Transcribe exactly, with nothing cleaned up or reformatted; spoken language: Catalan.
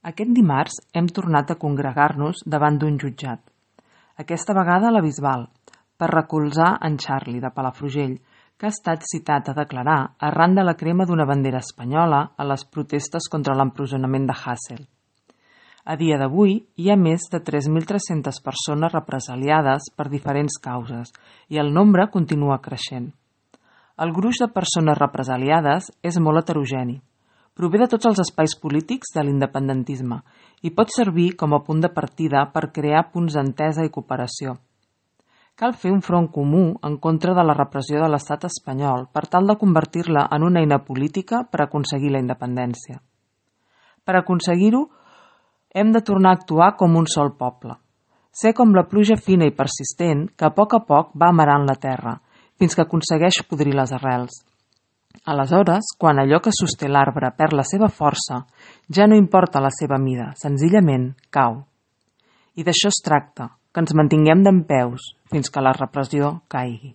Aquest dimarts hem tornat a congregar-nos davant d'un jutjat, aquesta vegada a la Bisbal, per recolzar en Charlie de Palafrugell, que ha estat citat a declarar arran de la crema d'una bandera espanyola a les protestes contra l'empresonament de Hasél. A dia d'avui hi ha més de tres mil tres-centes persones represaliades per diferents causes i el nombre continua creixent. El gruix de persones represaliades és molt heterogeni. Prové de tots els espais polítics de l'independentisme i pot servir com a punt de partida per crear punts d'entesa i cooperació. Cal fer un front comú en contra de la repressió de l'estat espanyol per tal de convertir-la en una eina política per aconseguir la independència. Per aconseguir-ho, hem de tornar a actuar com un sol poble. Ser com la pluja fina i persistent que a poc a poc va amarant la terra, fins que aconsegueix podrir les arrels. Aleshores, quan allò que sosté l'arbre perd la seva força, ja no importa la seva mida, senzillament cau. I d'això es tracta, que ens mantinguem dempeus fins que la repressió caigui.